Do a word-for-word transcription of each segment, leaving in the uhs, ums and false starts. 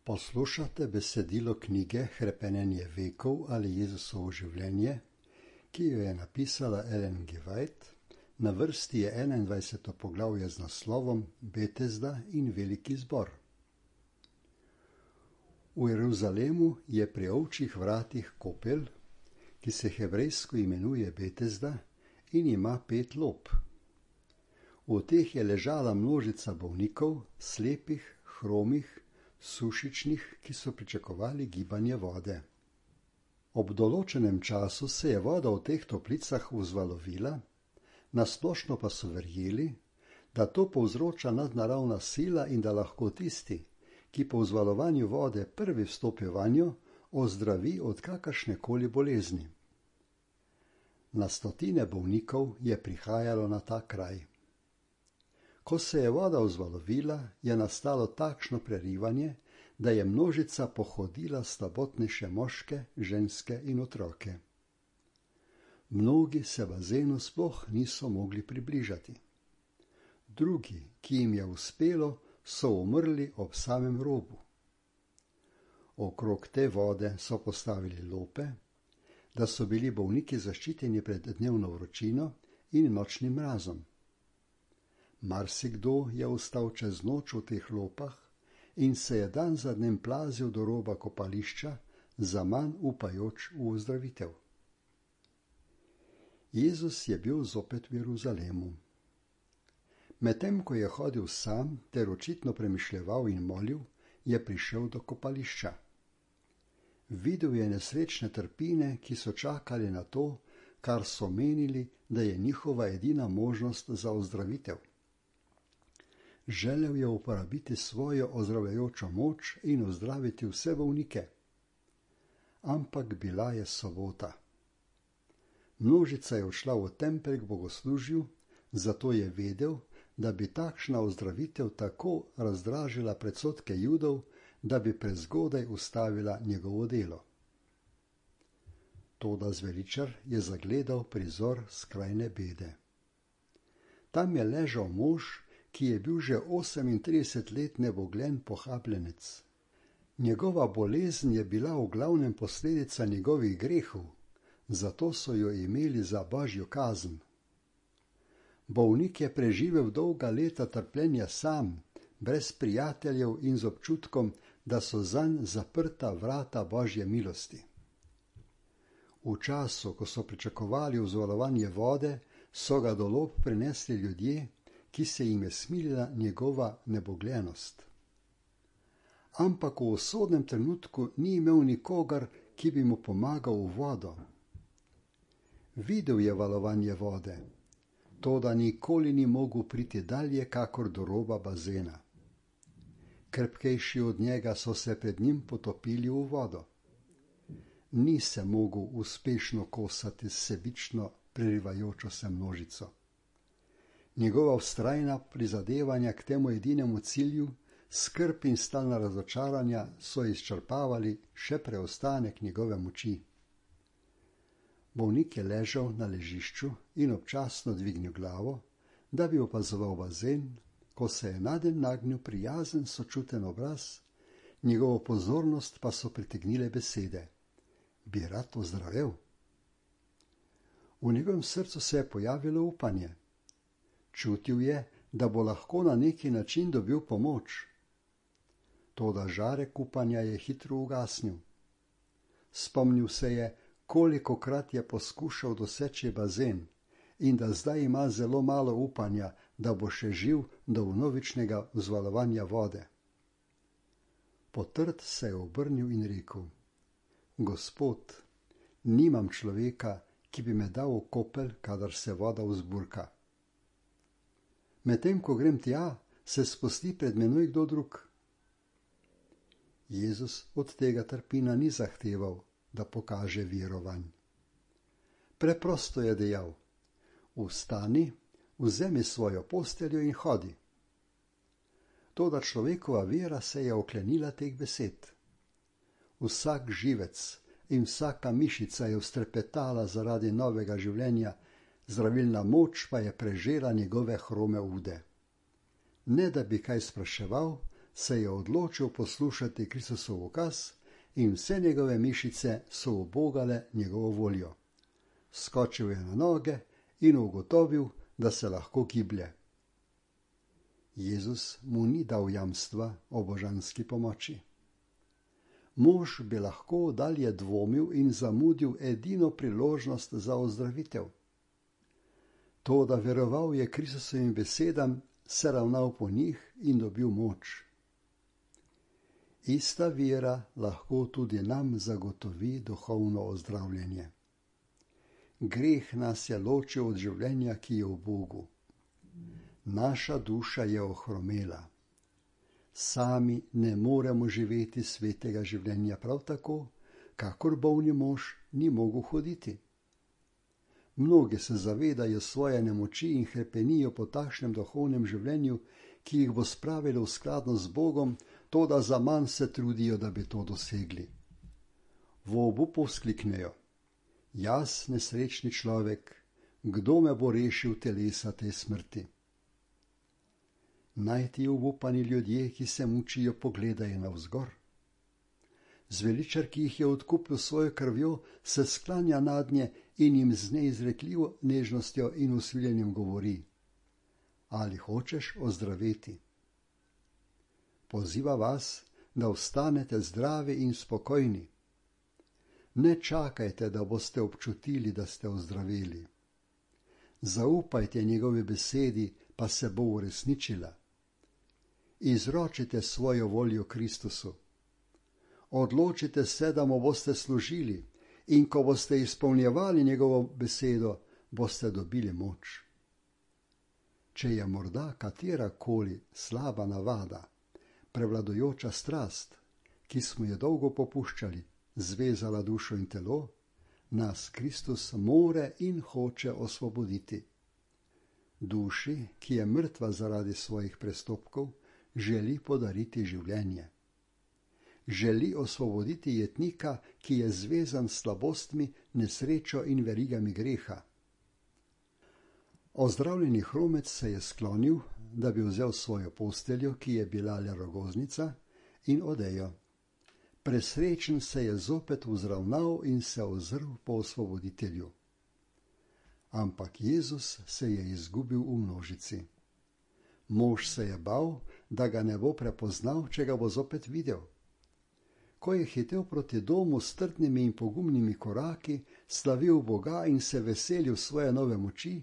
Poslušate besedilo knjige Hrepenenje vekov ali Jezusovo življenje, ki jo je napisala Ellen G. White. Na vrsti je enaindvajseto poglavje z naslovom Betesda in veliki zbor. V Jeruzalemu je pri ovčjih vratih kopel, ki se hebrejsko imenuje Betesda in ima pet lop. V teh je ležala množica bolnikov, slepih, hromih, sušičnih, ki so pričakovali gibanje vode. Ob določenem času se je voda v teh toplicah vzvalovila, nasplošno pa so verjeli, da to povzroča nadnaravna sila in da lahko tisti, ki po vzvalovanju vode prvi vstopi vanjo, ozdravi od kakršnekoli bolezni. Na stotine bolnikov je prihajalo na ta kraj. Ko se je voda vzvalovila, je nastalo takšno prerivanje, da je množica pohodila slabotnejše moške, ženske in otroke. Mnogi se bazenu sploh niso mogli približati. Drugi, ki jim je uspelo, so umrli ob samem robu. Okrog te vode so postavili lope, da so bili bolniki zaščiteni pred dnevno vročino in nočnim mrazom. Marsikdo je ostal čez noč v teh lopah in se je dan za dnem plazil do roba kopališča, zaman upajoč v ozdravitev. Jezus je bil zopet v Jeruzalemu. Medtem ko je hodil sam ter očitno premišljeval in molil, je prišel do kopališča. Videl je nesrečne trpine, ki so čakali na to, kar so menili, da je njihova edina možnost za ozdravitev. Želel je uporabiti svojo ozdravljajočo moč in ozdraviti vse bolnike. Ampak bila je sobota. Množica je odšla v tempelj k bogoslužju, zato je vedel, da bi takšna ozdravitev tako razdražila predsodke Judov, da bi prezgodaj ustavila njegovo delo. Toda zveličar je zagledal prizor skrajne bede. Tam je ležal mož, ki je bil že osemintrideset let neboglen pohabljenec. Njegova bolezen je bila v glavnem posledica njegovih grehov, zato so jo imeli za božjo kazen. Bolnik je preživel dolga leta trpljenja sam, brez prijateljev in z občutkom, da so zanj zaprta vrata božje milosti. V času, ko so pričakovali vzvalovanje vode, so ga do lob prinesli ljudje, ki se jim je smilila njegova nebogljenost. Ampak v usodnem trenutku ni imel nikogar, ki bi mu pomagal v vodo. Videl je valovanje vode, toda nikoli ni mogel priti dalje kakor do roba bazena. Krepkejši od njega so se pred njim potopili v vodo. Ni se mogel uspešno kosati s sebično prerivajočo se množico. Njegova vztrajna prizadevanja k temu edinemu cilju, skrb in stalna razočaranja so izčrpavali še preostanek njegove moči. Bolnik je ležal na ležišču in občasno dvignil glavo, da bi opazoval bazen, ko se je nadenj nagnil prijazen sočuten obraz, njegovo pozornost pa so pritegnile besede: bi rad ozdravel? V njegovem srcu se je pojavilo upanje. Čutil je, da bo lahko na neki način dobil pomoč. Toda žarek upanja je hitro ugasnil. Spomnil se je, kolikokrat je poskušal doseči bazen in da zdaj ima zelo malo upanja, da bo še živ do vnovičnega vzvalovanja vode. Potrt se je obrnil in rekel: Gospod, nimam človeka, ki bi me dal v kopel, kadar se voda vzburka. Medtem ko grem tja, se spusti pred menoj kdo drug. Jezus od tega trpina ni zahteval, da pokaže verovanj. Preprosto je dejal: vstani, vzemi svojo posteljo in hodi. Toda človekova vera se je oklenila teh besed. Vsak živec in vsaka mišica je vztrepetala zaradi novega življenja, zdravilna moč pa je prežela njegove hrome ude. Ne da bi kaj spraševal, se je odločil poslušati Kristusov ukaz in vse njegove mišice so ubogale njegovo voljo. Skočil je na noge in ugotovil, da se lahko giblje. Jezus mu ni dal jamstva o božanski pomoči. Mož bi lahko dalje dvomil in zamudil edino priložnost za ozdravitev. To, da veroval je Kristusovim besedam, se ravnal po njih in dobil moč. Ista vera lahko tudi nam zagotovi duhovno ozdravljenje. Greh nas je ločil od življenja, ki je v Bogu. Naša duša je ohromela. Sami ne moremo živeti svetega življenja prav tako, kakor bolni mož ni mogel hoditi. Mnogi se zavedajo svoje nemoči in hrepenijo po takšnem duhovnem življenju, ki jih bo spravilo v skladnost z Bogom, toda zaman se trudijo, da bi to dosegli. V obupu vzkliknejo: jaz, nesrečni človek, kdo me bo rešil telesa te smrti? Naj ti obupani ljudje, ki se mučijo, pogledajo navzgor. Zveličar, ki jih je odkupil svojo krvjo, se sklanja nadnje in jim z neizrekljivo nežnostjo in usmiljenjem govori: ali hočeš ozdraveti? Poziva vas, da ostanete zdravi in spokojni. Ne čakajte, da boste občutili, da ste ozdravili. Zaupajte njegovi besedi, pa se bo uresničila. Izročite svojo voljo Kristusu. Odločite se, da mu boste služili, in ko boste izpolnjevali njegovo besedo, boste dobili moč. Če je morda katerakoli slaba navada, prevladujoča strast, ki smo jo dolgo popuščali, zvezala dušo in telo, nas Kristus more in hoče osvoboditi. Duši, ki je mrtva zaradi svojih prestopkov, želi podariti življenje. Želi osvoboditi jetnika, ki je zvezan s slabostmi, nesrečo in verigami greha. Ozdravljeni hromec se je sklonil, da bi vzel svojo posteljo, ki je bila le rogoznica, in odejo. Presrečen se je zopet vzravnal in se ozrl po osvoboditelju. Ampak Jezus se je izgubil v množici. Mož se je bal, da ga ne bo prepoznal, če ga bo zopet videl. Ko je hitel proti domu s trdnimi in pogumnimi koraki, slavil Boga in se veselil svoje nove moči,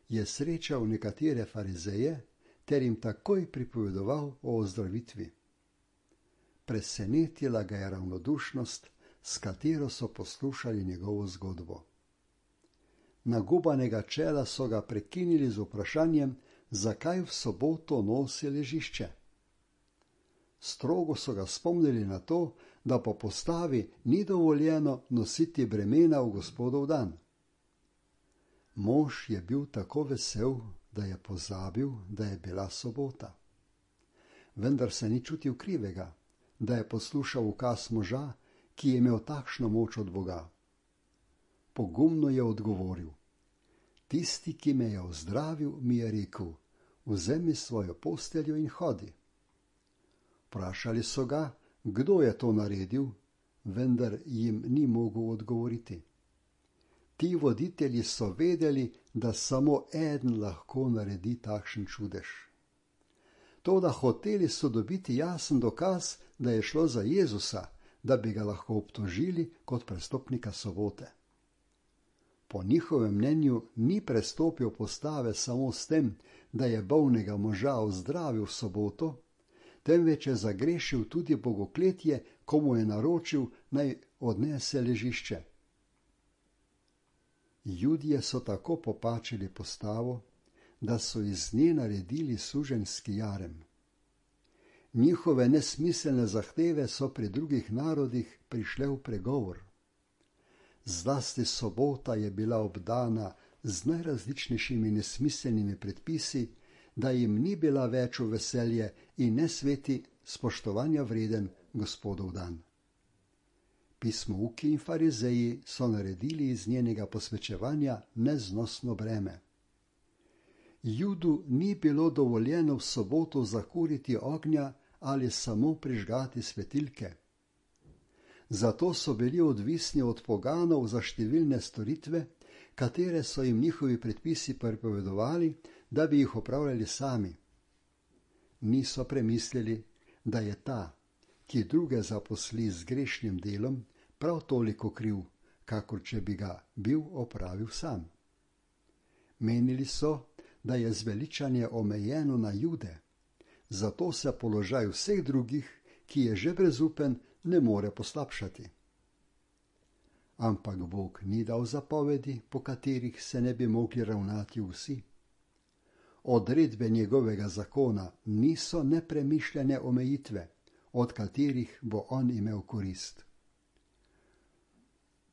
je srečal nekatere farizeje ter jim takoj pripovedoval o ozdravitvi. Presenetila ga je ravnodušnost, s katero so poslušali njegovo zgodbo. Nagubanega čela so ga prekinili z vprašanjem, zakaj v soboto nosi ležišče. Strogo so ga spomnili na to, da po postavi ni dovoljeno nositi bremena v Gospodov dan. Mož je bil tako vesel, da je pozabil, da je bila sobota. Vendar se ni čutil krivega, da je poslušal ukaz moža, ki je imel takšno moč od Boga. Pogumno je odgovoril: tisti, ki me je ozdravil, mi je rekel: vzemi svojo posteljo in hodi. Vprašali so ga, kdo je to naredil, vendar jim ni mogel odgovoriti. Ti voditelji so vedeli, da samo eden lahko naredi takšen čudež. Toda hoteli so dobiti jasen dokaz, da je šlo za Jezusa, da bi ga lahko obtožili kot prestopnika sobote. Po njihovem mnenju ni prestopil postave samo s tem, da je bolnega moža ozdravil v soboto, temveč je zagrešil tudi bogokletje, ko mu je naročil, naj odnese ležišče. Judje so tako popačili postavo, da so iz nje naredili suženjski jarem. Njihove nesmiselne zahteve so pri drugih narodih prišle v pregovor. Zlasti sobota je bila obdana z najrazličnejšimi nesmiselnimi predpisi, da jim ni bila več v veselje in nesveti spoštovanja vreden Gospodov dan. Pismouki in farizeji so naredili iz njenega posvečevanja neznosno breme. Judu ni bilo dovoljeno v soboto zakuriti ognja ali samo prižgati svetilke. Zato so bili odvisni od poganov za številne storitve, katere so jim njihovi predpisi prepovedovali, da bi jih opravljali sami. Niso premislili, da je ta, ki druge zaposli z grešnim delom, prav toliko kriv, kakor če bi ga bil opravil sam. Menili so, da je zveličanje omejeno na Jude, zato se položaj vseh drugih, ki je že brezupen, ne more poslabšati. Ampak Bog ni dal zapovedi, po katerih se ne bi mogli ravnati vsi. Odredbe njegovega zakona niso nepremišljene omejitve, od katerih bo on imel korist.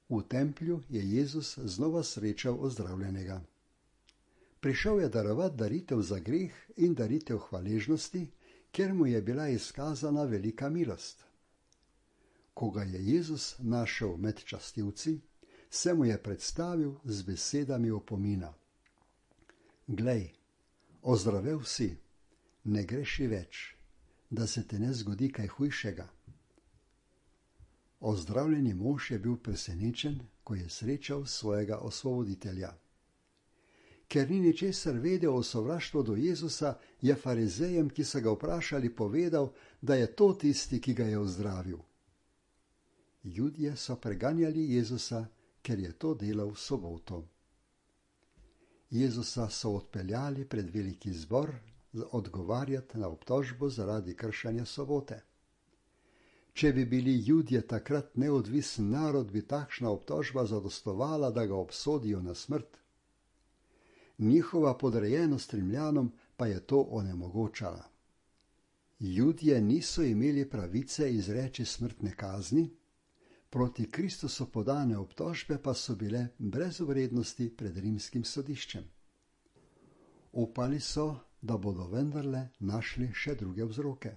V templju je Jezus znova srečal ozdravljenega. Prišel je darovati daritev za greh in daritev hvaležnosti, ker mu je bila izkazana velika milost. Ko ga je Jezus našel med častilci, se mu je predstavil z besedami opomina. Glej, ozdravel si, ne greši več, da se te ne zgodi kaj hujšega. Ozdravljeni mož je bil presenečen, ko je srečal svojega osvoboditelja. Ker ni ničesar vedel o sovraštvu do Jezusa, je farizejem, ki so ga vprašali, povedal, da je to tisti, ki ga je ozdravil. Judje so preganjali Jezusa, ker je to delal v soboto. Jezusa so odpeljali pred veliki zbor odgovarjati na obtožbo zaradi kršenja sobote. Če bi bili Judje takrat neodvisen narod, bi takšna obtožba zadostovala, da ga obsodijo na smrt. Njihova podrejenost Rimljanom pa je to onemogočala. Judje niso imeli pravice izreči smrtne kazni, proti Kristusu podane obtožbe pa so bile brez vrednosti pred rimskim sodiščem. Upali so, da bodo vendarle našli še druge vzroke.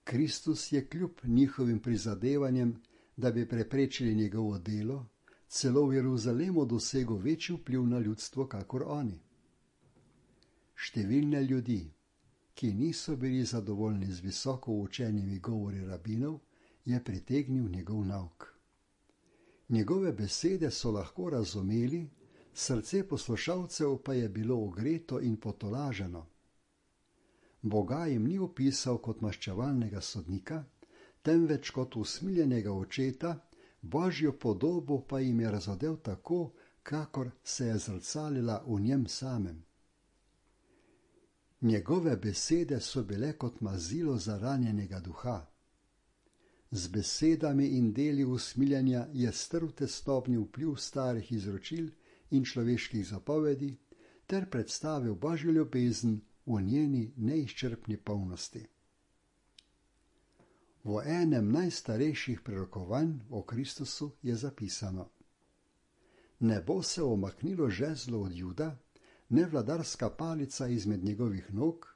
Kristus je kljub njihovim prizadevanjem, da bi preprečili njegovo delo, celo v Jeruzalemu dosegel večji vpliv na ljudstvo, kakor oni. Številne ljudi, ki niso bili zadovoljni z visoko učenimi govori rabinov, je pritegnil njegov nauk. Njegove besede so lahko razumeli, srce poslušalcev pa je bilo ogreto in potolaženo. Boga jim ni opisal kot maščevalnega sodnika, temveč kot usmiljenega očeta, Božjo podobo pa jim je razodel tako, kakor se je zrcalila v njem samem. Njegove besede so bile kot mazilo za ranjenega duha. Z besedami in deli usmiljenja je strl tesnobni vpliv starih izročil in človeških zapovedi ter predstavil Božjo ljubezen v njeni neizčrpni polnosti. V enem najstarejših prerokovanj o Kristusu je zapisano: Ne bo se omaknilo žezlo od Juda, ne vladarska palica izmed njegovih nog,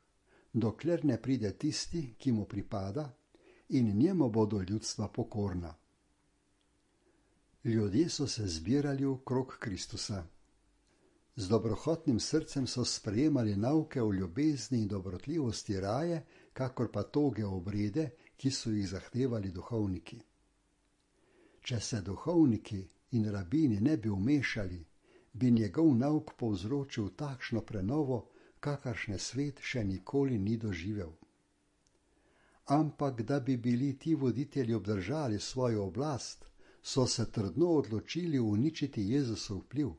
dokler ne pride tisti, ki mu pripada, in njemu bodo ljudstva pokorna. Ljudje so se zbirali okrog Kristusa. Z dobrohotnim srcem so sprejemali nauke o ljubezni in dobrotljivosti raje, kakor pa toge obrede, ki so jih zahtevali duhovniki. Če se duhovniki in rabini ne bi vmešali, bi njegov nauk povzročil takšno prenovo, kakršne svet še nikoli ni doživel. Ampak da bi bili ti voditelji obdržali svojo oblast, so se trdno odločili uničiti Jezusov vpliv.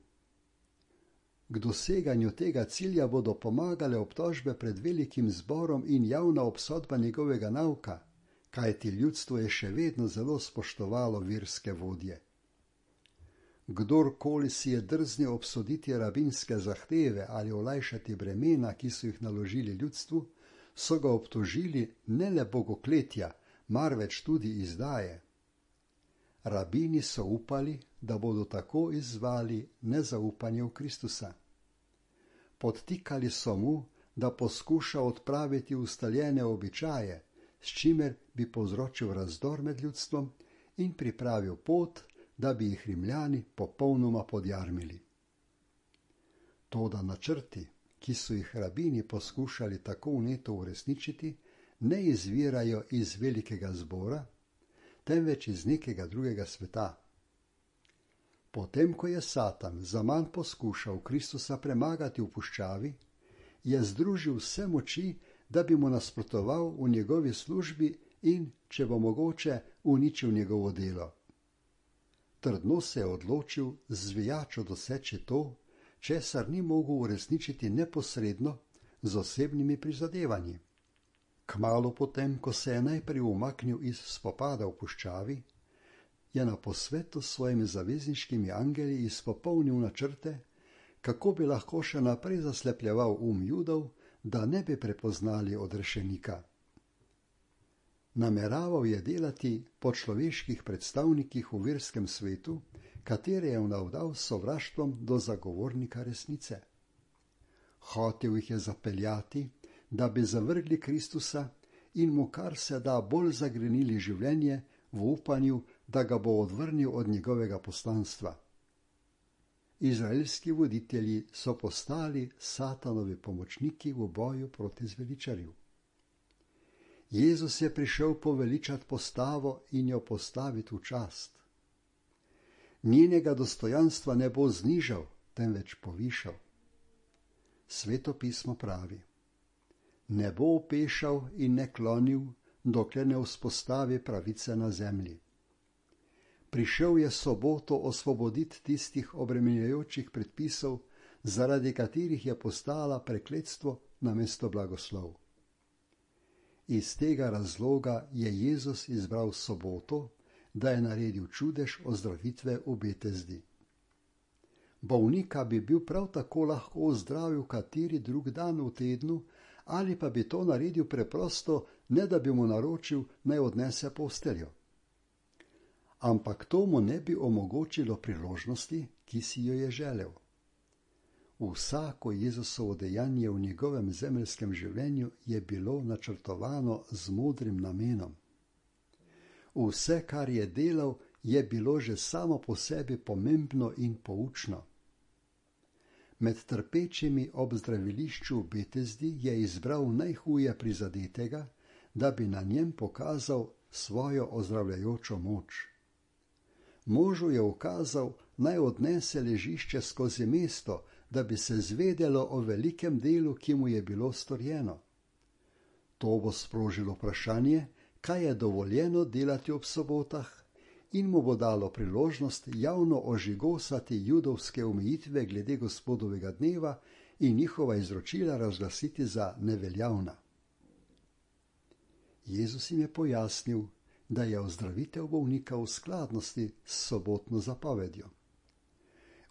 K doseganju tega cilja bodo pomagale obtožbe pred velikim zborom in javna obsodba njegovega nauka, kajti ljudstvo je še vedno zelo spoštovalo verske vodje. Kdorkoli si je drznil obsoditi rabinske zahteve ali olajšati bremena, ki so jih naložili ljudstvu, so ga obtožili ne le bogokletja, marveč tudi izdaje. Rabini so upali, da bodo tako izzvali nezaupanje v Kristusa. Podtikali so mu, da poskuša odpraviti ustaljene običaje, s čimer bi povzročil razdor med ljudstvom in pripravil pot, da bi jih Rimljani popolnoma podjarmili. Toda načrti, ki so jih rabini poskušali tako vneto uresničiti, ne izvirajo iz velikega zbora, temveč iz nekega drugega sveta. Potem, ko je Satan zaman poskušal Kristusa premagati v puščavi, je združil vse moči, da bi mu nasprotoval v njegovi službi in, če bo mogoče, uničil njegovo delo. Trdno se je odločil z zvijačo doseči to, česar ni mogel uresničiti neposredno z osebnimi prizadevanji. Kmalu potem, ko se je najprej umaknil iz spopada v puščavi, je na posvetu s svojimi zavezniškimi angeli izpopolnil načrte, kako bi lahko še naprej zaslepljeval um Judov, da ne bi prepoznali odrešenika. Nameraval je delati po človeških predstavnikih v verskem svetu, katere je navdal s sovraštvom do zagovornika resnice. Hotel jih je zapeljati, da bi zavrgli Kristusa in mu kar se da bolj zagrenili življenje v upanju, da ga bo odvrnil od njegovega poslanstva. Izraelski voditelji so postali Satanovi pomočniki v boju proti zveličarju. Jezus je prišel poveličati postavo in jo postaviti v čast. Njenega dostojanstva ne bo znižal, temveč povišal. Sveto pismo pravi: ne bo opešal in ne klonil, dokler ne vzpostavi pravice na zemlji. Prišel je soboto osvoboditi tistih obremenjujočih predpisov, zaradi katerih je postala prekletstvo namesto blagoslov. Iz tega razloga je Jezus izbral soboto, da je naredil čudež ozdravitve v Betesdi. Bolnika bi bil prav tako lahko ozdravil kateri drug dan v tednu, ali pa bi to naredil preprosto, ne da bi mu naročil, naj odnese posteljo. Ampak to mu ne bi omogočilo priložnosti, ki si jo je želel. Vsako Jezusovo dejanje v njegovem zemeljskem življenju je bilo načrtovano z modrim namenom. Vse, kar je delal, je bilo že samo po sebi pomembno in poučno. Med trpečimi ob zdravilišču v Betesdi je izbral najhuje prizadetega, da bi na njem pokazal svojo ozdravljajočo moč. Možu je ukazal, naj odnese ležišče skozi mesto, da bi se zvedelo o velikem delu, ki mu je bilo storjeno. To bo sprožilo vprašanje, kaj je dovoljeno delati ob sobotah, in mu bo dalo priložnost javno ožigosati judovske omejitve glede Gospodovega dneva in njihova izročila razglasiti za neveljavna. Jezus jim je pojasnil, da je ozdravitev bolnika v skladnosti s sobotno zapovedjo.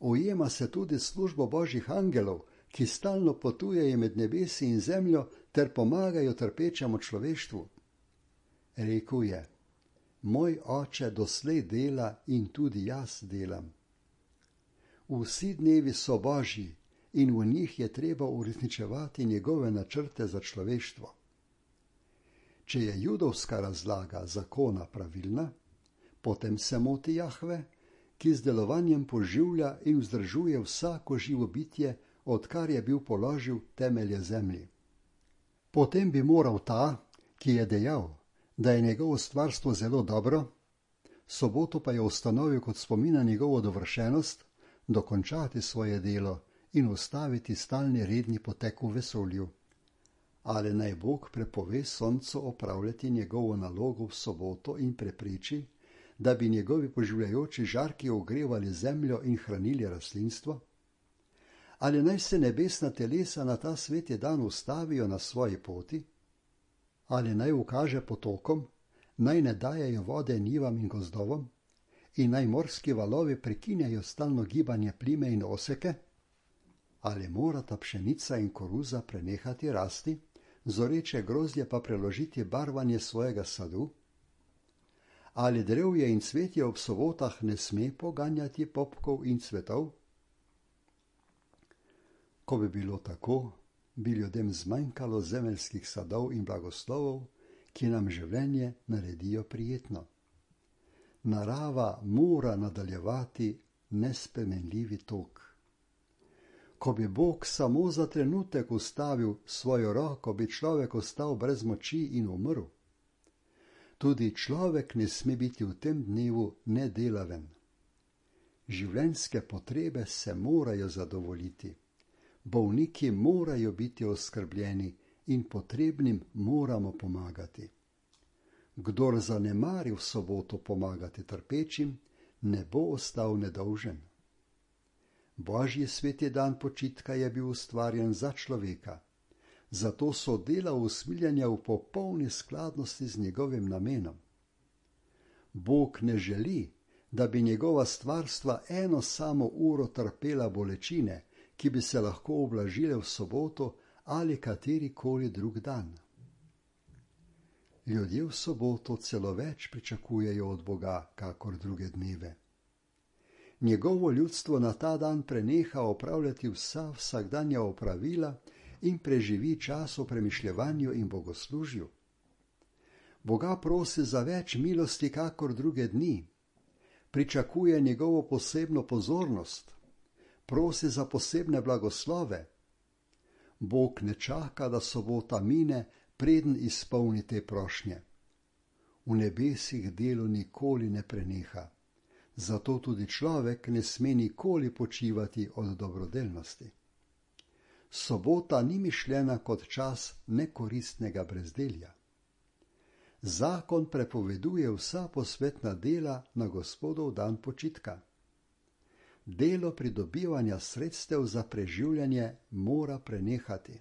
Ujema se tudi službo božjih angelov, ki stalno potujejo med nebesi in zemljo ter pomagajo trpečemu človeštvu. Rekel je: moj oče doslej dela in tudi jaz delam. Vsi dnevi so božji in v njih je treba uresničevati njegove načrte za človeštvo. Če je judovska razlaga zakona pravilna, potem se moti Jahve, ki z delovanjem poživlja in vzdržuje vsako živo bitje, odkar je bil položil temelje zemlji. Potem bi moral ta, ki je dejal, da je njegovo stvarstvo zelo dobro, soboto pa je ustanovil kot spomin na njegovo dovršenost, dokončati svoje delo in ustaviti stalni redni potek v vesolju. Ali naj Bog prepove soncu opravljati njegovo nalogo v soboto in prepreči, da bi njegovi poživljajoči žarki ogrevali zemljo in hranili rastlinstvo? Ali naj se nebesna telesa na ta sveti dan ustavijo na svoji poti? Ali naj ukaže potokom, naj ne dajejo vode njivam in gozdovom, in naj morski valovi prekinjajo stalno gibanje plime in oseke? Ali morata pšenica in koruza prenehati rasti, zoreče grozdje pa preložiti barvanje svojega sadu? Ali drevje in cvetje ob sobotah ne sme poganjati popkov in cvetov? Ko bi bilo tako, bi ljudem zmanjkalo zemeljskih sadov in blagoslovov, ki nam življenje naredijo prijetno. Narava mora nadaljevati nespremenljivi tok. Ko bi Bog samo za trenutek ustavil svojo roko, bi človek ostal brez moči in umrl. Tudi človek ne sme biti v tem dnevu nedelaven. Življenjske potrebe se morajo zadovoljiti. Bolniki morajo biti oskrbljeni in potrebnim moramo pomagati. Kdor zanemari v soboto pomagati trpečim, ne bo ostal nedolžen. Božji sveti dan počitka je bil ustvarjen za človeka, zato so dela usmiljenja v popolni skladnosti z njegovim namenom. Bog ne želi, da bi njegova stvarstva eno samo uro trpela bolečine, ki bi se lahko ublažile v soboto ali katerikoli drug dan. Ljudje v soboto celo več pričakujejo od Boga, kakor druge dneve. Njegovo ljudstvo na ta dan preneha opravljati vsa vsakdanja opravila in preživi čas v premišljevanju in bogoslužju. Boga prosi za več milosti, kakor druge dni. Pričakuje njegovo posebno pozornost. Prosi za posebne blagoslove. Bog ne čaka, da sobota mine, preden izpolni te prošnje. V nebesih delo nikoli ne preneha. Zato tudi človek ne sme nikoli počivati od dobrodelnosti. Sobota ni mišljena kot čas nekoristnega brezdelja. Zakon prepoveduje vsa posvetna dela na Gospodov dan počitka. Delo pridobivanja sredstev za preživljanje mora prenehati.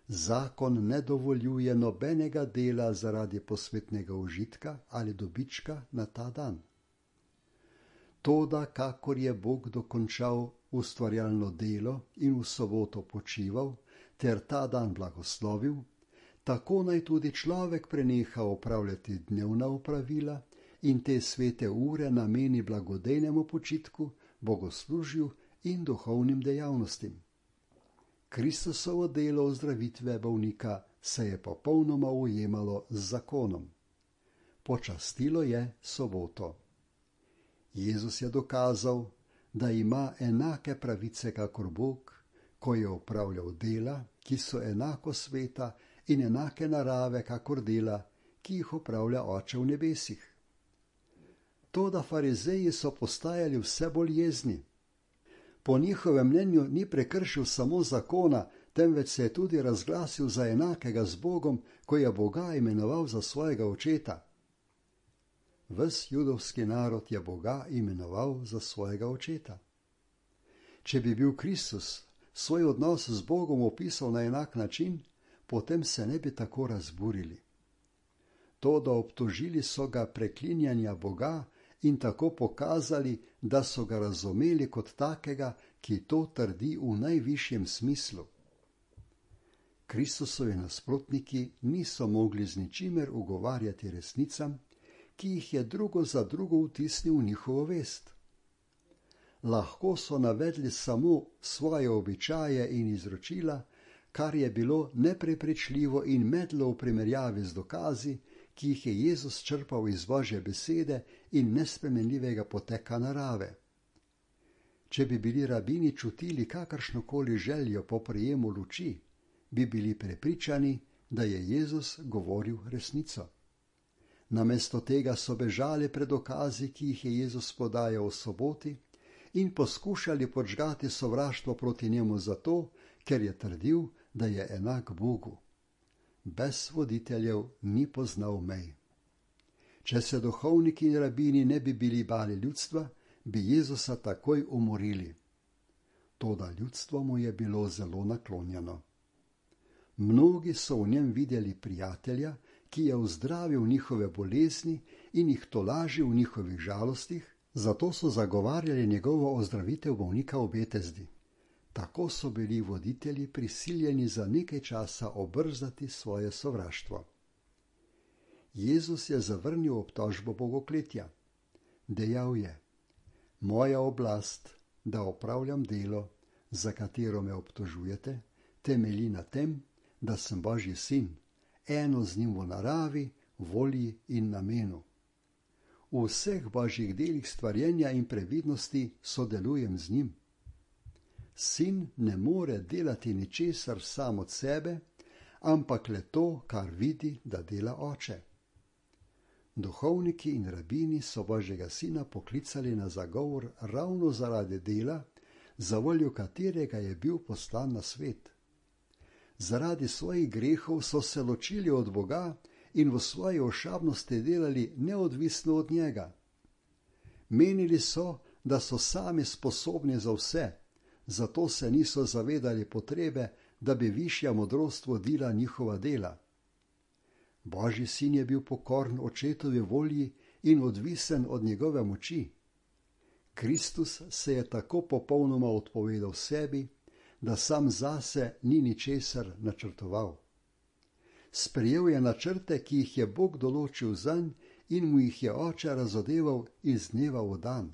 Zakon ne dovoljuje nobenega dela zaradi posvetnega užitka ali dobička na ta dan. Toda, kakor je Bog dokončal ustvarjalno delo in v soboto počival, ter ta dan blagoslovil, tako naj tudi človek preneha opravljati dnevna opravila in te svete ure nameni blagodejnemu počitku, bogoslužju in duhovnim dejavnostim. Kristusovo delo ozdravitve bolnika se je popolnoma ujemalo z zakonom. Počastilo je soboto. Jezus je dokazal, da ima enake pravice kakor Bog, ko je opravljal dela, ki so enako sveta in enake narave kakor dela, ki jih opravlja Oče v nebesih. Toda farizeji so postajali vse bolj jezni. Po njihovem mnenju ni prekršil samo zakona, temveč se je tudi razglasil za enakega z Bogom, ko je Boga imenoval za svojega očeta. Ves judovski narod je Boga imenoval za svojega očeta. Če bi bil Kristus svoj odnos z Bogom opisal na enak način, potem se ne bi tako razburili. Toda obtožili so ga preklinjanja Boga in tako pokazali, da so ga razumeli kot takega, ki to trdi v najvišjem smislu. Kristusovi nasprotniki niso mogli z ničimer ugovarjati resnicam, ki jih je drugo za drugo vtisnil v njihovo vest. Lahko so navedli samo svoje običaje in izročila, kar je bilo neprepričljivo in medlo v primerjavi z dokazi, ki jih je Jezus črpal iz Božje besede in nespremenljivega poteka narave. Če bi bili rabini čutili kakršnokoli željo po prejemu luči, bi bili prepričani, da je Jezus govoril resnico. Namesto tega so bežali pred dokazi, ki jih je Jezus podajal v soboti, in poskušali podžgati sovraštvo proti njemu zato, ker je trdil, da je enak Bogu. Brez voditeljev ni poznal mej. Če se duhovniki in rabini ne bi bili bali ljudstva, bi Jezusa takoj umorili. Toda ljudstvo mu je bilo zelo naklonjeno. Mnogi so v njem videli prijatelja, ki je ozdravil njihove bolezni in jih tolažil v njihovih žalostih, zato so zagovarjali njegovo ozdravitev bolnika v Betesdi. Tako so bili voditelji prisiljeni za nekaj časa obrzdati svoje sovraštvo. Jezus je zavrnil obtožbo bogokletja. Dejal je: Moja oblast, da opravljam delo, za katero me obtožujete, temelji na tem, da sem Božji sin, eno z njim v naravi, volji in namenu. V vseh Božjih delih stvarjenja in previdnosti sodelujem z njim. sin ne more delati ničesar sam od sebe, ampak le to, kar vidi, da dela oče. Duhovniki in rabini so Božjega sina poklicali na zagovor ravno zaradi dela, za voljo katerega je bil poslan na svet. Zaradi svojih grehov so se ločili od Boga in v svoji ošabnosti delali neodvisno od njega. Menili so, da so sami sposobni za vse, zato se niso zavedali potrebe, da bi višja modrost vodila njihova dela. Božji sin je bil pokoren očetovi volji in odvisen od njegove moči. Kristus se je tako popolnoma odpovedal sebi, da sam zase ni ničesar načrtoval. Sprejel je načrte, ki jih je Bog določil zanj in mu jih je oče razodeval iz dneva v dan.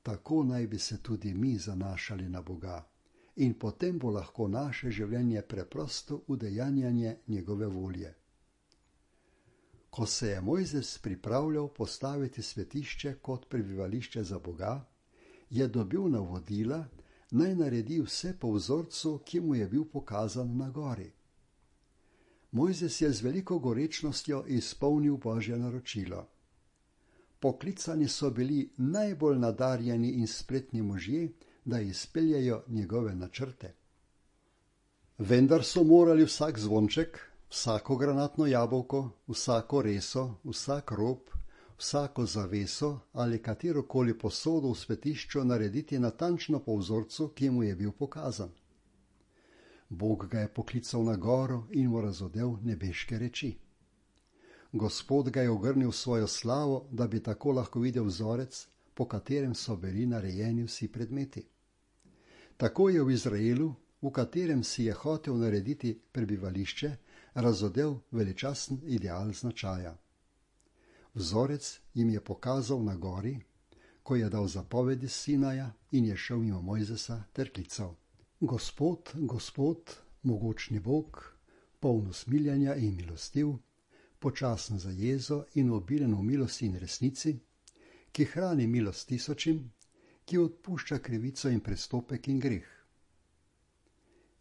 Tako naj bi se tudi mi zanašali na Boga in potem bo lahko naše življenje preprosto udejanjanje njegove volje. Ko se je Mojzes pripravljal postaviti svetišče kot prebivališče za Boga, je dobil navodila, naj naredi vse po vzorcu, ki mu je bil pokazan na gori. Mojzes je z veliko gorečnostjo izpolnil Božje naročilo. Poklicani so bili najbolj nadarjeni in spretni možje, da izpeljejo njegove načrte. Vendar so morali vsak zvonček, vsako granatno jabolko, vsako reso, vsak rob, vsako zaveso ali katerokoli posodo v svetišču narediti natančno po vzorcu, ki mu je bil pokazan. Bog ga je poklical na goro in mu razodel nebeške reči. Gospod ga je ogrnil v svojo slavo, da bi tako lahko videl vzorec, po katerem so bili narejeni vsi predmeti. Tako je v Izraelu, v katerem si je hotel narediti prebivališče, razodel veličasten ideal značaja. Vzorec jim je pokazal na gori, ko je dal zapovedi Sinaja in je šel mimo Mojzesa ter klical: Gospod, Gospod, mogočni Bog, poln usmiljenja in milostiv, počasen za jezo in obilen v milosti in resnici, ki hrani milost tisočim, ki odpušča krivico in prestopek in greh.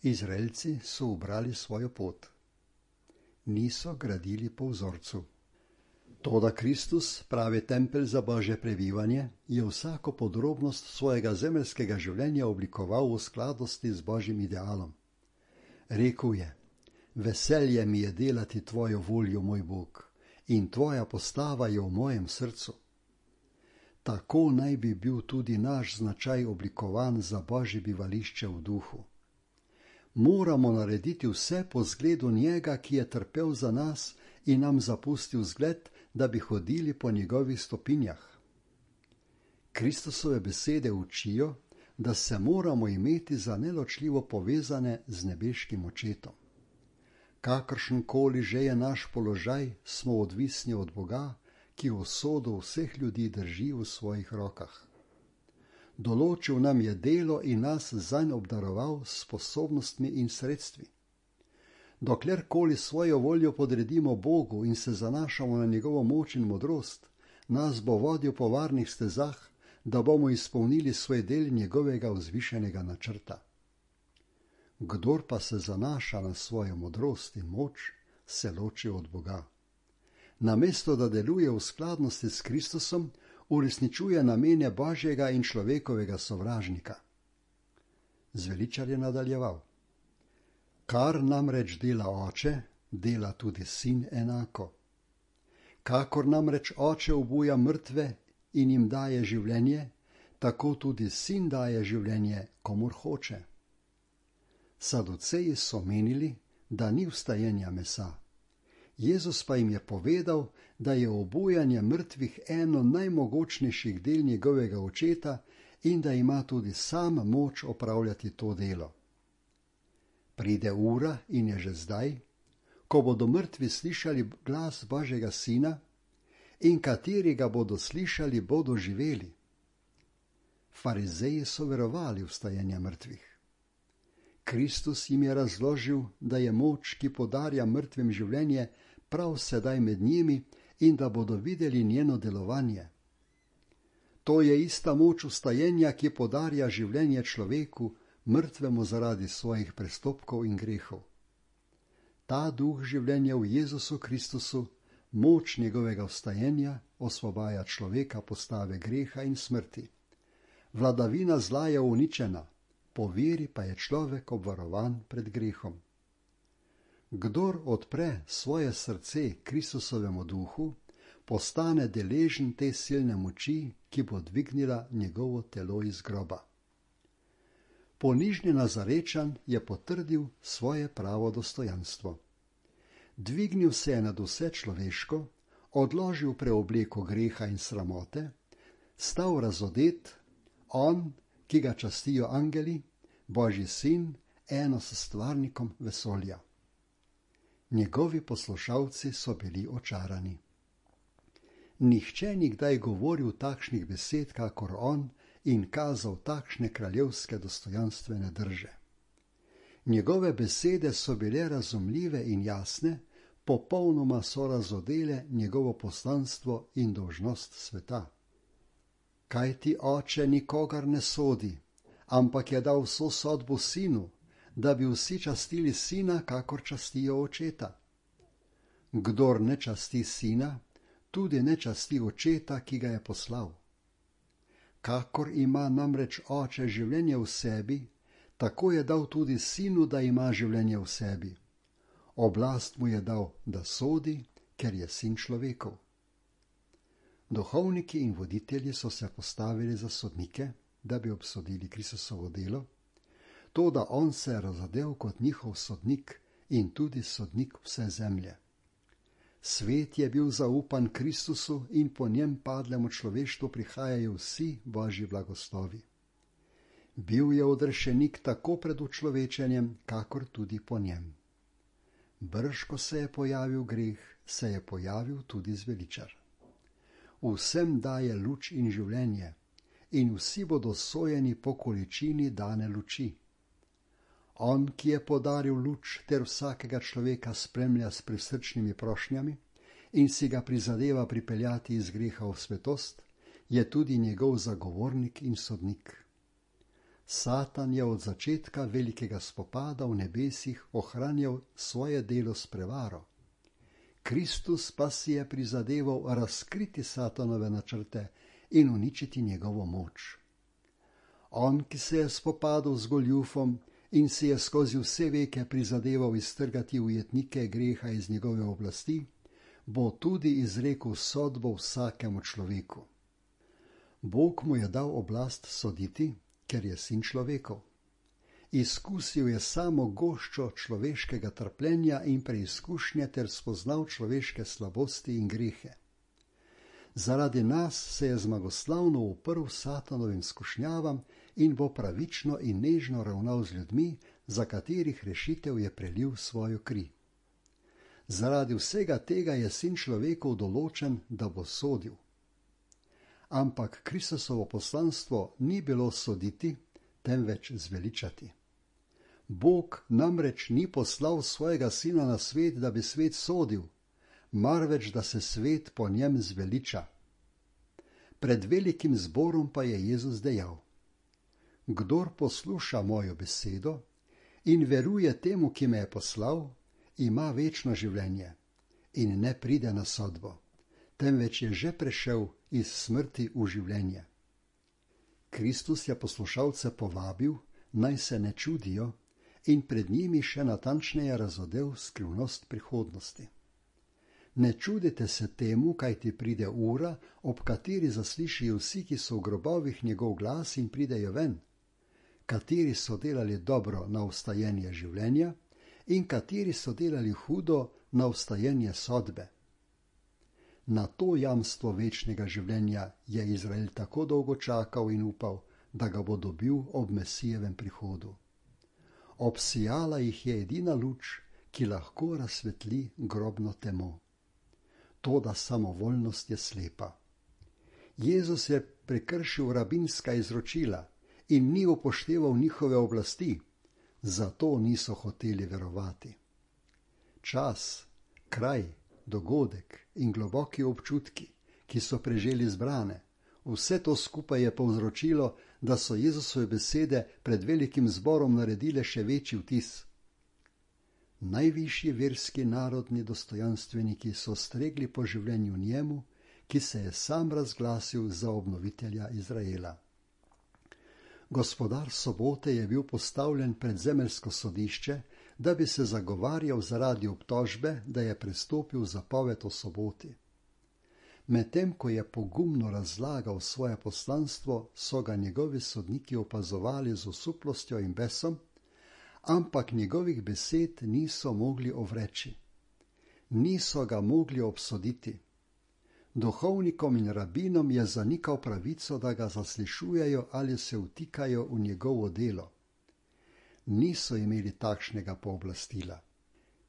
Izraelci so ubrali svojo pot. Niso gradili po vzorcu. Toda Kristus, pravi tempelj za Božje prebivanje, je vsako podrobnost svojega zemeljskega življenja oblikoval v skladnosti z Božjim idealom. Rekel je: Veselje mi je delati tvojo voljo, moj Bog, in tvoja postava je v mojem srcu. Tako naj bi bil tudi naš značaj oblikovan za Božje bivališče v duhu. Moramo narediti vse po zgledu njega, ki je trpel za nas in nam zapustil zgled, da bi hodili po njegovih stopinjah. Kristusove besede učijo, da se moramo imeti za neločljivo povezane z nebeškim očetom. Kakršenkoli že je naš položaj, smo odvisni od Boga, ki usodo vseh ljudi drži v svojih rokah. Določil nam je delo in nas zanj obdaroval s sposobnostmi in sredstvi. Doklerkoli svojo voljo podredimo Bogu in se zanašamo na njegovo moč in modrost, nas bo vodil po varnih stezah, da bomo izpolnili svoj del njegovega vzvišenega načrta. Kdor pa se zanaša na svojo modrost in moč, se loči od Boga. Namesto da deluje v skladnosti s Kristusom, uresničuje namene Božjega in človekovega sovražnika. Zveličar je nadaljeval: Kar namreč dela oče, dela tudi sin enako. Kakor namreč oče obuja mrtve in jim daje življenje, tako tudi sin daje življenje, komur hoče. Saduceji so menili, da ni vstajenja mesa. Jezus pa jim je povedal, da je obujanje mrtvih eno najmogočnejših del njegovega očeta in da ima tudi sam moč opravljati to delo. Pride ura in je že zdaj, ko bodo mrtvi slišali glas Božjega sina in kateri ga bodo slišali, bodo živeli. Farizeji so verovali v vstajenje mrtvih. Kristus jim je razložil, da je moč, ki podarja mrtvim življenje, prav sedaj med njimi in da bodo videli njeno delovanje. To je ista moč vstajenja, ki podarja življenje človeku, mrtvemu zaradi svojih prestopkov in grehov. Ta duh življenja v Jezusu Kristusu, moč njegovega vstajenja, osvobaja človeka postave greha in smrti. Vladavina zla je uničena, po veri pa je človek obvarovan pred grehom. Kdor odpre svoje srce Kristusovemu duhu, postane deležen te silne moči, ki bo dvignila njegovo telo iz groba. Ponižni Nazarečan je potrdil svoje pravo dostojanstvo. Dvignil se je nad vse človeško, odložil preobleko greha in sramote, stal razodet, on, ki ga častijo angeli, Božji sin, eno s stvarnikom vesolja. Njegovi poslušalci so bili očarani. Nihče ni kdaj govoril takšnih besed, kakor on, in kazal takšne kraljevske dostojanstvene drže. Njegove besede so bile razumljive in jasne, popolnoma so razodele njegovo poslanstvo in dolžnost sveta. Kaj ti oče nikogar ne sodi, ampak je dal vso sodbo sinu, da bi vsi častili sina, kakor častijo očeta. Kdor ne časti sina, tudi ne časti očeta, ki ga je poslal. Kakor ima namreč oče življenje v sebi, tako je dal tudi sinu, da ima življenje v sebi. Oblast mu je dal, da sodi, ker je sin človekov. Duhovniki in voditelji so se postavili za sodnike, da bi obsodili Kristusovo delo, toda on se je razodel kot njihov sodnik in tudi sodnik vse zemlje. Svet je bil zaupan Kristusu in po njem padlemu človeštvu prihajajo vsi Božji blagoslovi. Bil je odrešenik tako pred učlovečenjem, kakor tudi po njem. Brž, ko se je pojavil greh, se je pojavil tudi zveličar. Vsem daje luč in življenje, in vsi bodo sojeni po količini dane luči. On, ki je podaril luč ter vsakega človeka spremlja s prisrčnimi prošnjami in si ga prizadeva pripeljati iz greha v svetost, je tudi njegov zagovornik in sodnik. Satan je od začetka velikega spopada v nebesih ohranjal svoje delo s prevaro. Kristus pa si je prizadeval razkriti Satanove načrte in uničiti njegovo moč. On, ki se je spopadal z goljufom in si je skozi vse veke prizadeval iztrgati ujetnike greha iz njegove oblasti, bo tudi izrekel sodbo vsakemu človeku. Bog mu je dal oblast soditi, ker je sin človekov. Izkusil je samo goščo človeškega trpljenja in preizkušnje ter spoznal človeške slabosti in grehe. Zaradi nas se je zmagoslavno uprl Satanovim skušnjavam in bo pravično in nežno ravnal z ljudmi, za katerih rešitev je prelil svojo kri. Zaradi vsega tega je sin človekov določen, da bo sodil. Ampak Kristusovo poslanstvo ni bilo soditi, temveč zveličati. Bog namreč ni poslal svojega sina na svet, da bi svet sodil, marveč da se svet po njem zveliča. Pred velikim zborom pa je Jezus dejal: Kdor posluša mojo besedo in veruje temu, ki me je poslal, ima večno življenje in ne pride na sodbo, temveč je že prešel iz smrti v življenje. Kristus je poslušalce povabil, naj se ne čudijo, in pred njimi še natančneje razodel skrivnost prihodnosti. Ne čudite se temu, kaj ti pride ura, ob kateri zaslišijo vsi, ki so v grobovih njegov glas in pridejo ven, kateri so delali dobro na vstajenje življenja in kateri so delali hudo na vstajenje sodbe. Na to jamstvo večnega življenja je Izrael tako dolgo čakal in upal, da ga bo dobil ob Mesijevem prihodu. Obsijala jih je edina luč, ki lahko razsvetli grobno temo. Toda samovoljnost je slepa. Jezus je prekršil rabinska izročila in ni upošteval njihove oblasti, zato niso hoteli verovati. Čas, kraj, dogodek in globoki občutki, ki so preželi zbrane, Vse to skupaj je povzročilo, da so Jezusove besede pred velikim zborom naredile še večji vtis. Najvišji verski narodni dostojanstveniki so stregli po življenju njemu, ki se je sam razglasil za obnovitelja Izraela. Gospodar sobote je bil postavljen pred zemeljsko sodišče, da bi se zagovarjal zaradi obtožbe, da je prestopil zapoved o soboti. Medtem ko je pogumno razlagal svoje poslanstvo, so ga njegovi sodniki opazovali z osuplostjo in besom, ampak njegovih besed niso mogli ovreči. Niso ga mogli obsoditi. Duhovnikom in rabinom je zanikal pravico, da ga zaslišujejo ali se vtikajo v njegovo delo. Niso imeli takšnega pooblastila.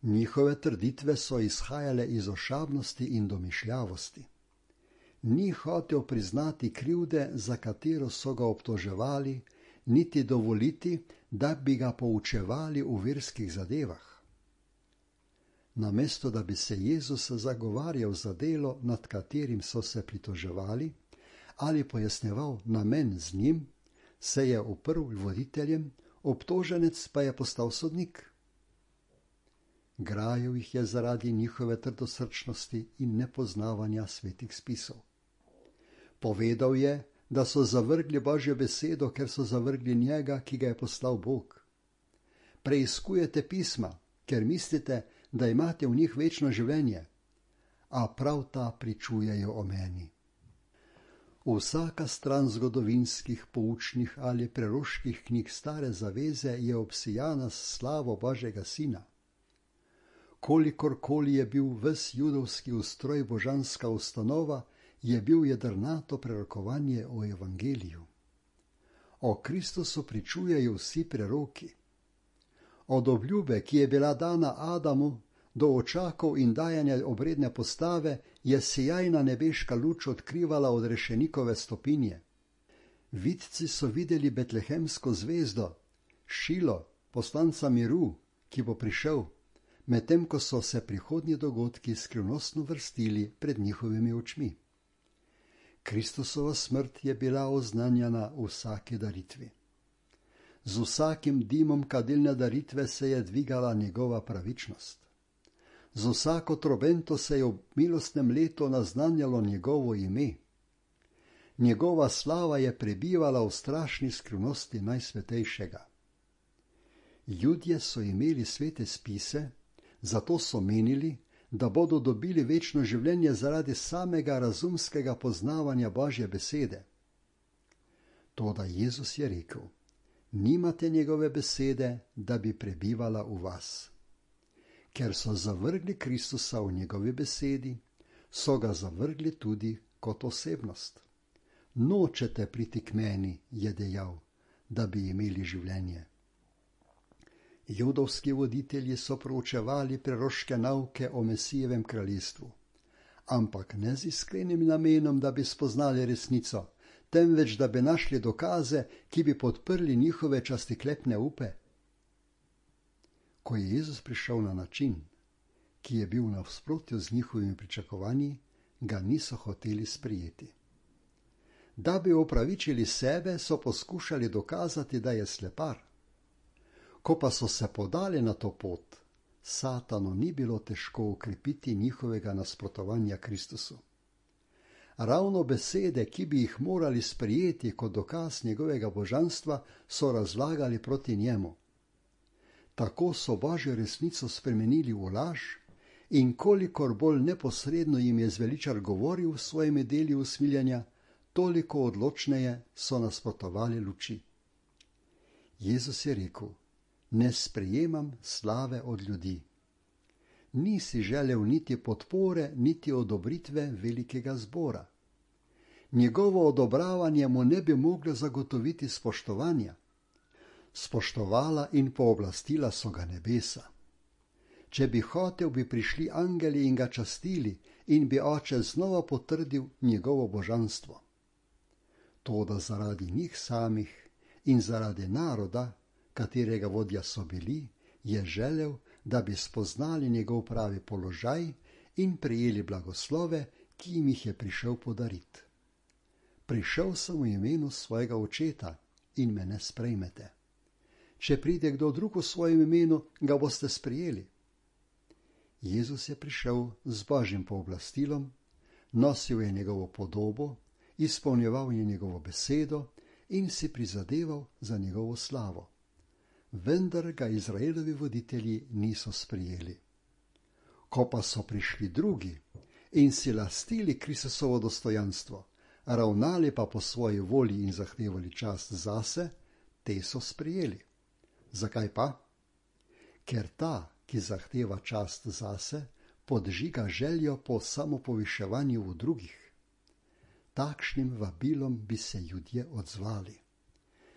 Njihove trditve so izhajale iz ošabnosti in domišljavosti. Ni hotel priznati krivde, za katero so ga obtoževali, niti dovoliti, da bi ga poučevali v verskih zadevah. Namesto da bi se Jezus zagovarjal za delo, nad katerim so se pritoževali, ali pojasnjeval namen z njim, se je uprl voditeljem, obtoženec pa je postal sodnik. Grajal jih je zaradi njihove trdosrčnosti in nepoznavanja svetih spisov. Povedal je, da so zavrgli Božjo besedo, ker so zavrgli njega, ki ga je poslal Bog. Preiskujete pisma, ker mislite, da imate v njih večno življenje, a prav ta pričujejo o meni. Vsaka stran zgodovinskih, poučnih ali preroških knjig Stare zaveze je obsijana s slavo Božjega Sina. Kolikorkoli je bil ves judovski ustroj božanska ustanova, je bil jedrnato prerokovanje o evangeliju. O Kristusu pričujejo vsi preroki. Od obljube, ki je bila dana Adamu, do očakov in dajanja obredne postave, je sijajna nebeška luč odkrivala odrešenikove stopinje. Vidci so videli betlehemsko zvezdo, Šilo, poslanca miru, ki bo prišel, medtem ko so se prihodnji dogodki skrivnostno vrstili pred njihovimi očmi. Kristusova smrt je bila oznanjena v vsaki daritvi. Z vsakim dimom kadilne daritve se je dvigala njegova pravičnost. Z vsako trobento se je v milostnem letu naznanjalo njegovo ime. Njegova slava je prebivala v strašni skrivnosti najsvetejšega. Judje so imeli svete spise, zato so menili, da bodo dobili večno življenje zaradi samega razumskega poznavanja Božje besede. Toda Jezus je rekel, nimate njegove besede, da bi prebivala v vas. Ker so zavrgli Kristusa v njegovi besedi, so ga zavrgli tudi kot osebnost. Nočete priti k meni, je dejal, da bi imeli življenje. Judovski voditelji so proučevali preroške nauke o Mesijevem kraljestvu, ampak ne z iskrenim namenom, da bi spoznali resnico, temveč da bi našli dokaze, ki bi podprli njihove častiklepne upe. Ko je Jezus prišel na način, ki je bil v nasprotju z njihovimi pričakovanji, ga niso hoteli sprijeti. Da bi opravičili sebe, so poskušali dokazati, da je slepar. Ko pa so se podali na to pot, Satanu ni bilo težko ukrepiti njihovega nasprotovanja Kristusu. Ravno besede, ki bi jih morali sprijeti kot dokaz njegovega božanstva, so razlagali proti njemu. Tako so Božjo resnico spremenili v laž in kolikor bolj neposredno jim je zveličar govoril v svojimi deli usmiljanja, toliko odločneje so nasprotovali luči. Jezus je rekel, ne sprejemam slave od ljudi. Nisi želel niti podpore, niti odobritve velikega zbora. Njegovo odobravanje mu ne bi moglo zagotoviti spoštovanja. Spoštovala in pooblastila so ga nebesa. Če bi hotel, bi prišli angeli in ga častili in bi oče znova potrdil njegovo božanstvo. Toda zaradi njih samih in zaradi naroda, katerega vodja so bili, je želel, da bi spoznali njegov pravi položaj in prejeli blagoslove, ki jim jih je prišel podariti. prišel sem v imenu svojega očeta in me ne sprejmete. Če pride kdo drug v svojem imenu, ga boste sprejeli. Jezus je prišel z Božjim pooblastilom, nosil je njegovo podobo, izpolnjeval je njegovo besedo in si prizadeval za njegovo slavo. Vendar ga Izraelovi voditelji niso sprejeli. Ko pa so prišli drugi in si lastili Kristusovo dostojanstvo, ravnali pa po svoji volji in zahtevali čast zase, te so sprejeli. Zakaj pa? Ker ta, ki zahteva čast zase, podžiga željo po samopoviševanju v drugih. Takšnim vabilom bi se ljudje odzvali.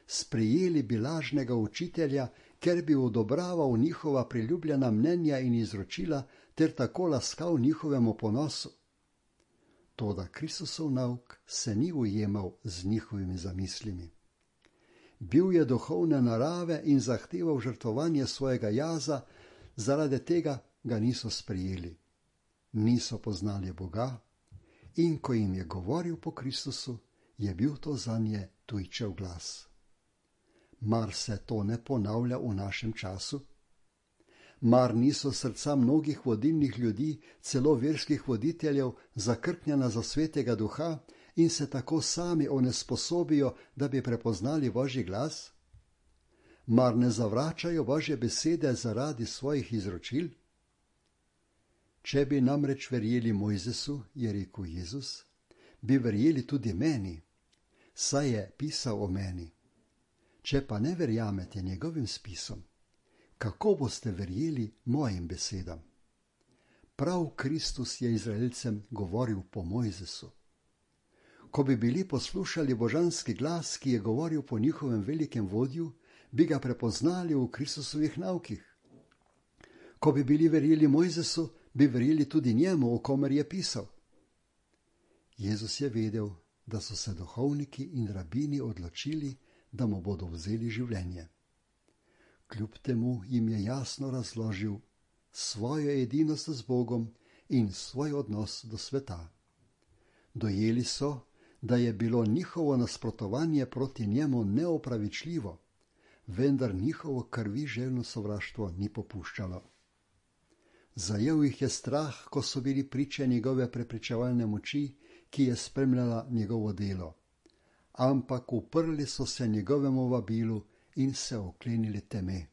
Sprejeli bi lažnega učitelja, ker bi odobraval njihova priljubljena mnenja in izročila ter tako laskal njihovemu ponosu. Toda Kristusov nauk se ni ujemal z njihovimi zamislimi. Bil je duhovne narave in zahteval žrtvovanje svojega jaza, zaradi tega ga niso sprejeli. Niso poznali Boga in ko jim je govoril po Kristusu, je bil to zanje tujčev glas. Mar se to ne ponavlja v našem času? Mar niso srca mnogih vodilnih ljudi, celo verskih voditeljev, zakrknjena za svetega duha in se tako sami onesposobijo, da bi prepoznali Božji glas? Mar ne zavračajo Božje besede zaradi svojih izročil? Če bi namreč verjeli Mojzesu, je rekel Jezus, bi verjeli tudi meni, saj je pisal o meni. Če pa ne verjamete njegovim spisom, kako boste verjeli mojim besedam? Prav Kristus je Izraelcem govoril po Mojzesu. Ko bi bili poslušali božanski glas, ki je govoril po njihovem velikem vodju, bi ga prepoznali v Kristusovih naukih. Ko bi bili verjeli Mojzesu, bi verjeli tudi njemu, o komer je pisal. Jezus je vedel, da so se duhovniki in rabini odločili, da mu bodo vzeli življenje. Kljub temu jim je jasno razložil svojo edinost z Bogom in svoj odnos do sveta. Dojeli so, da je bilo njihovo nasprotovanje proti njemu neopravičljivo, vendar njihovo krviželjno sovraštvo ni popuščalo. Zajel jih je strah, ko so bili priče njegove prepričevalne moči, ki je spremljala njegovo delo. Ampak uprli so se njegovemu vabilu in se oklenili teme.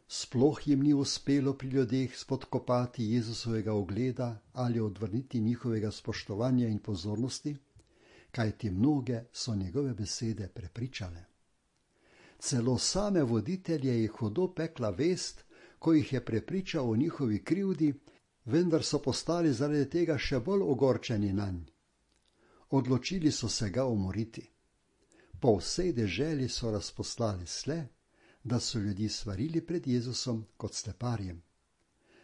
Sploh jim ni uspelo pri ljudeh spodkopati Jezusovega ugleda ali odvrniti njihovega spoštovanja in pozornosti, kajti mnoge so njegove besede prepričale. Celo same voditelje je hudo pekla vest, ko jih je prepričal o njihovi krivdi, vendar so postali zaradi tega še bolj ogorčeni nanj. Odločili so se ga umoriti. Po vsej deželi so razposlali sle, da so ljudi svarili pred Jezusom kot sleparjem.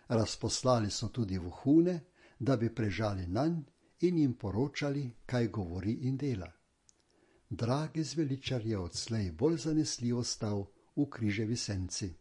Razposlali so tudi vohune, da bi prežali nanj in jim poročali, kaj govori in dela. Dragi zveličar je odslej bolj zanesljivo stal v križevi senci.